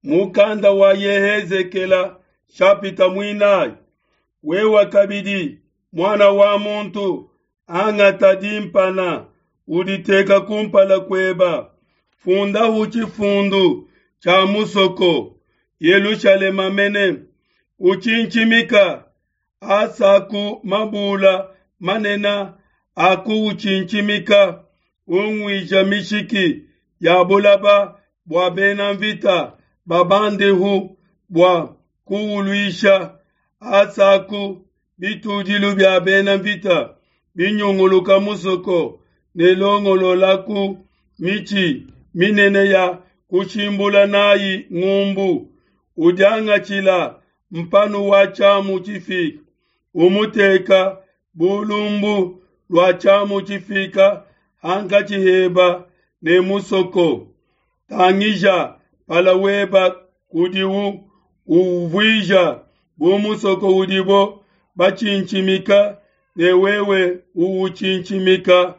Mukanda wa Yehezekela shapita muinayi. Wewa kabidi, muana wa muntu, angata dimpana, uditeka kumpala kueba. Fundahu tshifundu tshia musoko, Yelushalema mene, utshintshimika, asaku mabula manene a kuutshintshimika, unguija mishiki ya bulaba bua bena mvita babandehu bua kuuluisha, asaku bitudilu bia bena mvita binyunguluka musoko ne longololaku mitshi minene ya kushimbula nayi ngumbu, udiangatshila mpanu wa tshiamu tshifika, umuteka bu lumbu lua tshiamu tshifika hankatshi heba ne musoko. Tangija mpala weba kudiwu, uwuvuija bu musoko udibo batshintshimika, ne wewe uwutshintshimika.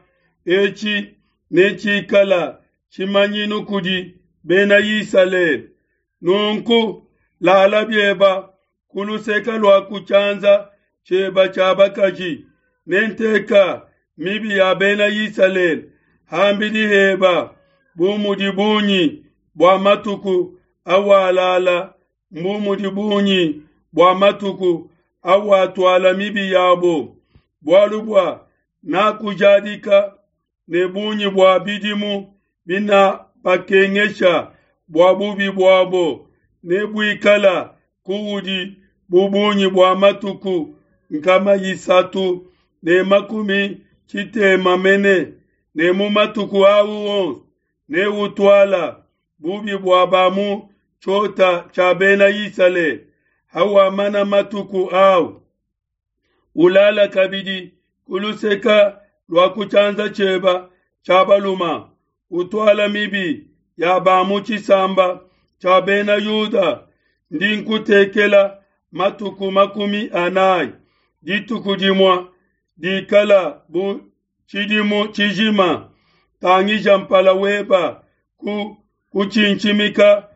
Etshi netshikala tshimanyinu kudi Bena Isalele. Nunku lala bieba ku luseke lua ku tshianza tshieba tshia bakaji, ne nteka mibi ya Bena Isalele ham'bidi heba, bu mudi bungi bua matuku awalala, mbu mudi bungi bua matuku awatuala mibi yabo. Bualu bua nakujadika ne bungi bua bidimu binabakengesha bua bubi buabo nebuikala kuudi bu bungi bua matuku 360 mene, ne mu matuku au onso neutuala bubi bua ba mu tshiota tshia Bena Isalele. Hawamana matuku au, ulala kabidi ku luseka lua ku tshianza tshieba tshia baluma, utuala mibi ya ba mu tshisamba tshia Bena Yuda. Ndi nkutekela matuku 40, dituku dimue dikala bu tshidimu tshijima. Tangija mpala weba ku kutshintshimika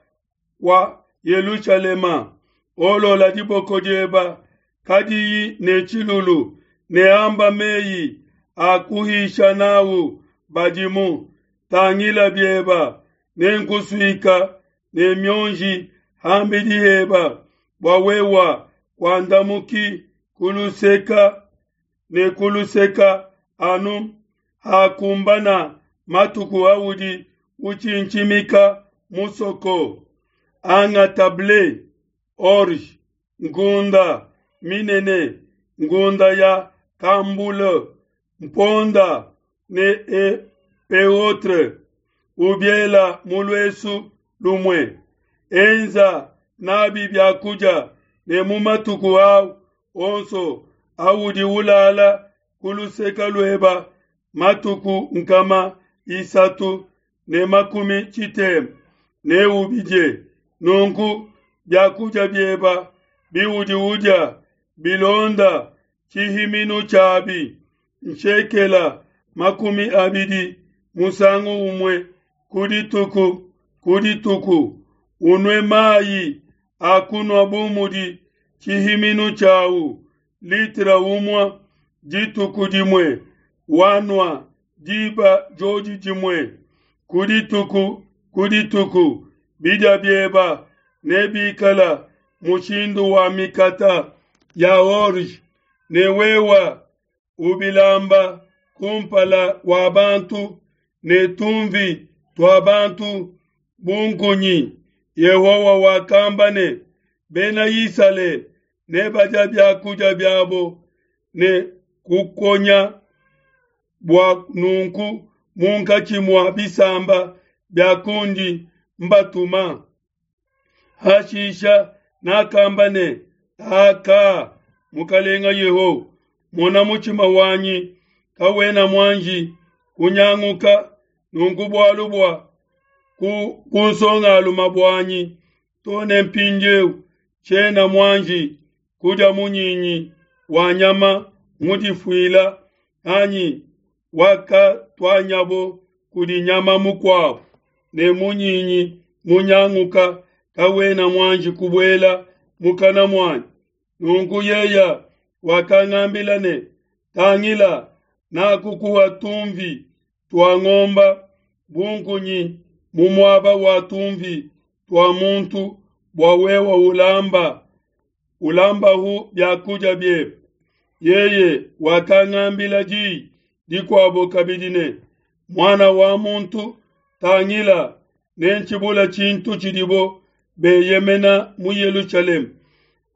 kua Yelushalema, olola diboko dieba kadiyi ne tshilulu, ne amba meyi a kuhisha nawu badimu. Tangila bieba, nenkusuika ne mionji ham'bidi heba, bua wewa kuandamuki ku luseka ne ku luseka anu hakumbana matuku audi utshintshimika musoko. Angata ble, orge, ngunda minene, ngunda ya kambule, mponda ne epeautre, ubiela mu luesu lumue. Enza nabi biakudia ne mu matuku au onso audi ulala ku luseka lueba matuku 360 neubidie. Nunku biakudia bieba biudi udia bilonda tshihiminu tshiabi, nshekela 20 musangu umue ku dituku ku dituku. Unue mayi a kunua bu mudi tshihiminu tshiawu, litra umue dituku dimue, wanua diba diodi dimue ku dituku ku dituku. Bidia bieba nebikala mushindu wa mikata ya orge, ne wewa ubilamba kumpala kua bantu ne tumvi tua bantu bu nkunyi. Yehowa wakamba ne, Bena Isalele nebadia biakudia biabo ne kukonya bua nunku munkatshi mua bisamba bia kundi mbatuma. Hashisha nakamba ne, Aka, Mukalenga Yehowa, mona mutshima wanyi kawena muanji kunyanguka, nunku bualu bua ku bunsongalume buanyi to ne mpindieu tshiena muanji kudia munyinyi wa nyama mudifuila anyi wakatuanyabo kudi nyama mukuabo, ne munyinyi munyanguka. kawena muanji kubuela mukana muanyi. Nunku yeye wakangambila ne, Tangila, nakukuha tunvi tua ngomba bu nkunyi mu muaba wa tunvi tua muntu bua wewe ulamba ulambahu biakudia biebe. Yeye wakangambila diyi dikuabo kabidi ne, Muana wa muntu, tangila, nentshibula tshintu tshidibo beyemena mu Yelushalema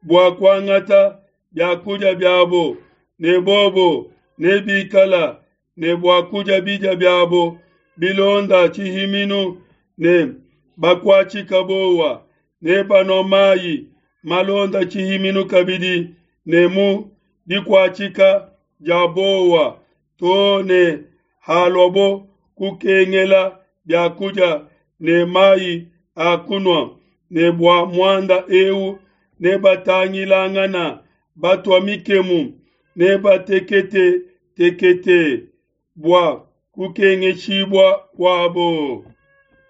bua kuangata biakudia biabo, ne bobo nebikala ne bua kudia bidia biabo bilonda tshihiminu ne bakuatshika bowa, nebanua mayi malonda tshihiminu kabidi ne mu dikuatshika dia bowa, too ne haluabo kukengela biakudia ne mayi a kunua, ne bua muanda eu nebatangilangana batua mikemu, nebatekete tekete bua kukengeshibua kuabo.